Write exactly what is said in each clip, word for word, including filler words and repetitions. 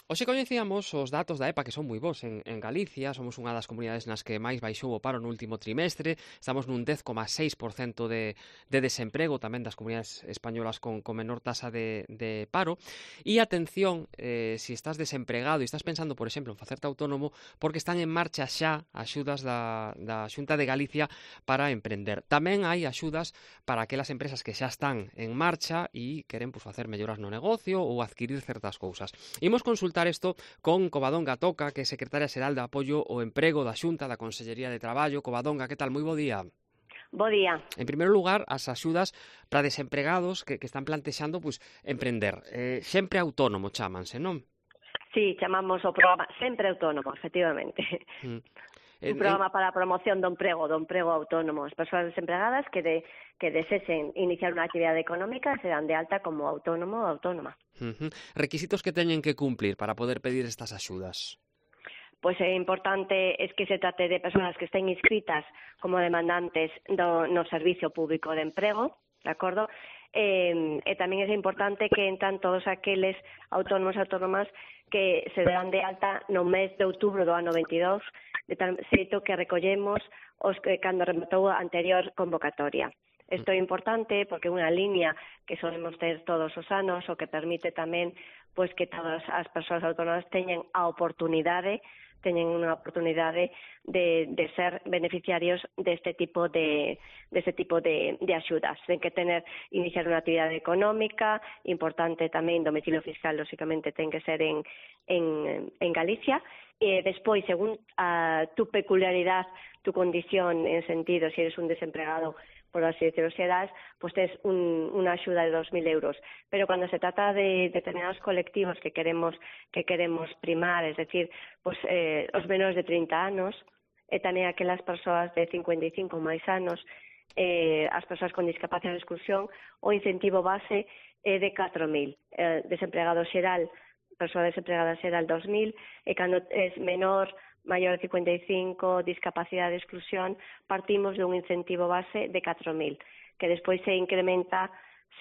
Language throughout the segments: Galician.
Hoxe coñecíamos os datos da E P A que son moi bons en, en Galicia, somos unha das comunidades nas que máis baixou o paro no último trimestre, estamos nun dez coma seis por cento de, de desemprego, tamén das comunidades españolas con, con menor tasa de, de paro, e atención, eh, se si estás desempregado e estás pensando, por exemplo, en facerte autónomo, porque están en marcha xa axudas da, da Xunta de Galicia para emprender. Tamén hai axudas para aquelas empresas que xa están en marcha e queren pues, facer melloras no negocio ou adquirir certas cousas. Imos consultar isto con Covadonga Toca, que é secretaria xeral de Apoio ao Emprego da Xunta da Consellería de Traballo. Covadonga, que tal? Moi bo día. Bo día. En primeiro lugar, as axudas para desempregados que, que están plantexando pues, emprender. Eh, sempre autónomo chamanse, non? Sí, chamamos o programa Sempre Autónomo, efectivamente. Mm. Un programa para a promoción do emprego, do emprego autónomo. As persoas desempregadas que, de, que desesen iniciar unha actividade económica serán de alta como autónomo ou autónoma. Uh-huh. Requisitos que teñen que cumplir para poder pedir estas axudas? Pois é importante es que se trate de persoas que estén inscritas como demandantes do, no Servicio Público de Emprego, de acordo? E, e tamén é importante que entran todos aqueles autónomos e autónomas que se dan de alta no mes de outubro do ano veintidós, de tal xeito que recollemos os que cando rematou a anterior convocatoria. Isto é importante porque é unha línea que solemos ter todos os anos, o que permite tamén pois que todas as persoas autónomas teñen a oportunidade teñen unha oportunidade de, de ser beneficiarios deste tipo de deste tipo de, de axudas. Ten que tener iniciar unha actividade económica, importante tamén domicilio fiscal, lógicamente ten que ser en, en, en Galicia, e despois, según a tu peculiaridade, tu condición en sentido, se eres un desempregado, por así decirlo, xerais, pois tes un, unha axuda de dos mil euros. Pero cando se trata de determinados colectivos que queremos que queremos primar, es decir, pois, eh, os menores de trinta anos, e tamén aquelas persoas de cincuenta e cinco máis anos, eh, as persoas con discapacidade de exclusión, o incentivo base é de catro mil. Eh, desempregado xeral, persoa desempregada xeral dos mil, e cando é menor, maior de cincuenta e cinco, discapacidade de exclusión, partimos dun incentivo base de catro mil, que despois se incrementa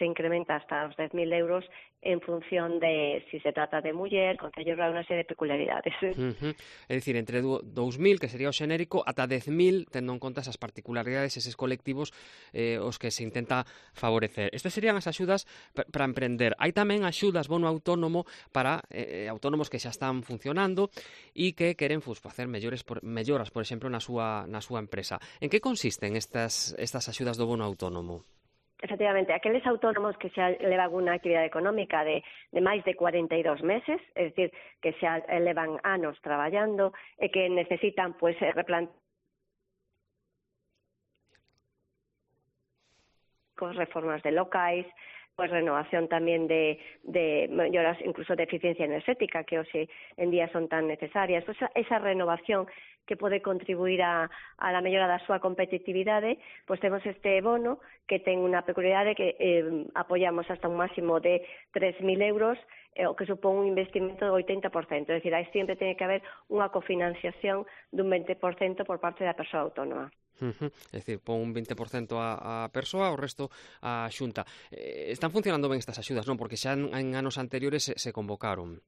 se incrementa hasta os dez mil euros en función de si se trata de muller, concello rural, unha serie de peculiaridades. Uh-huh. É dicir, entre dous mil, que sería o xenérico, ata dez mil, tendo en conta esas particularidades, eses colectivos eh, os que se intenta favorecer. Estas serían as axudas para emprender. Hai tamén axudas bono autónomo para eh, autónomos que xa están funcionando e que queren pues, facer mellores por, melloras, por exemplo, na súa, na súa empresa. En que consisten estas, estas axudas do bono autónomo? Efectivamente, aqueles autónomos que xa levan unha actividade económica de, de máis de cuarenta e dous meses, é dicir, que xa levan anos traballando e que necesitan pues, replantear reformas de locais, pues renovación tamén de, de melloras incluso de eficiencia enerxética que hoxe en día son tan necesarias. Pues esa renovación que pode contribuir a, a la mellora da súa competitividade, pois temos este bono que ten unha peculiaridade que eh, apoiamos hasta un máximo de tres mil euros, eh, o que supón un investimento do oitenta por cento. É dicir, aí sempre ten que haber unha cofinanciación dun vinte por cento por parte da persoa autónoma. Uh-huh. É dicir, pon un vinte por cento a, a persoa, o resto a Xunta. Eh, están funcionando ben estas axudas, non? Porque xa en, en anos anteriores se, se convocaron.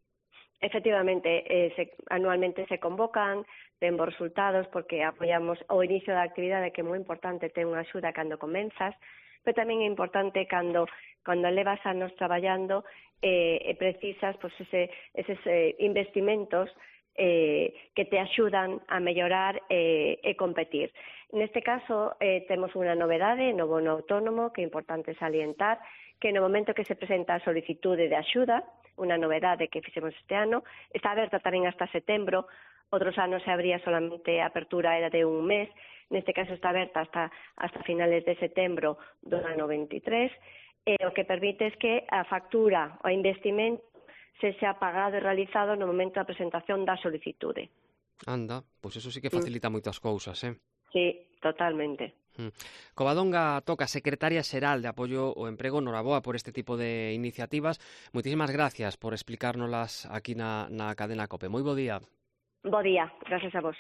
Efectivamente, eh, se, anualmente se convocan, ten bons resultados porque apoiamos o inicio da actividade, que é moi importante ter unha axuda cando comenzas, pero tamén é importante cando cando levas anos traballando eh, e precisas pues, ese, eses eh, investimentos eh, que te axudan a mellorar eh, e competir. Neste caso, eh, temos unha novedade no bono autónomo que é importante salientar, que no momento que se presenta a solicitude de axuda, unha novedade que fixemos este ano, está aberta tamén hasta setembro, outros anos se abría solamente a apertura era de un mes, neste caso está aberta hasta, hasta finales de setembro do ano veintitrés, e o que permite es que a factura o investimento se xa pagado e realizado no momento da presentación da solicitude. Anda, pois eso sí que facilita mm. moitas cousas, eh? Sí, totalmente. Mm. Covadonga Toca, secretaria xeral de Apoio ao Emprego, noraboa por este tipo de iniciativas. Moitísimas gracias por explicárnoslas aquí na, na cadena COPE. Moi bo día. Bo día, gracias a vos.